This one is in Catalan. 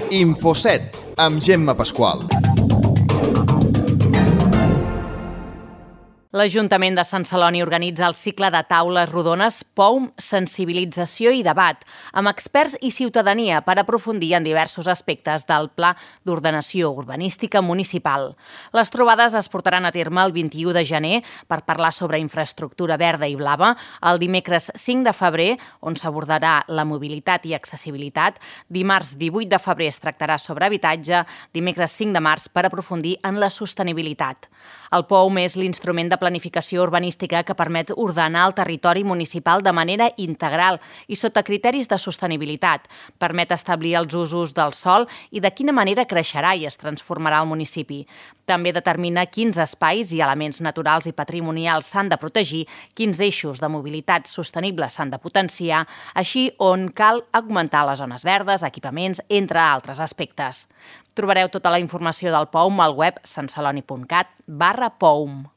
Infoset, amb Gemma Pasqual. L'Ajuntament de Sant Celoni organitza el cicle de taules rodones POUM Sensibilització i Debat, amb experts i ciutadania per aprofundir en diversos aspectes del Pla d'Ordenació Urbanística Municipal. Les trobades es portaran a terme el 21 de gener per parlar sobre infraestructura verda i blava, el dimecres 5 de febrer, on s'abordarà la mobilitat i accessibilitat, dimarts 18 de febrer es tractarà sobre habitatge, dimecres 5 de març per aprofundir en la sostenibilitat. El POUM és l'instrument de planificació urbanística que permet ordenar el territori municipal de manera integral i sota criteris de sostenibilitat. Permet establir els usos del sòl i de quina manera creixerà i es transformarà el municipi. També determina quins espais i elements naturals i patrimonials s'han de protegir, quins eixos de mobilitat sostenible s'han de potenciar, així on cal augmentar les zones verdes, equipaments, entre altres aspectes. Trobareu tota la informació del POUM al web santceloni.cat/POUM.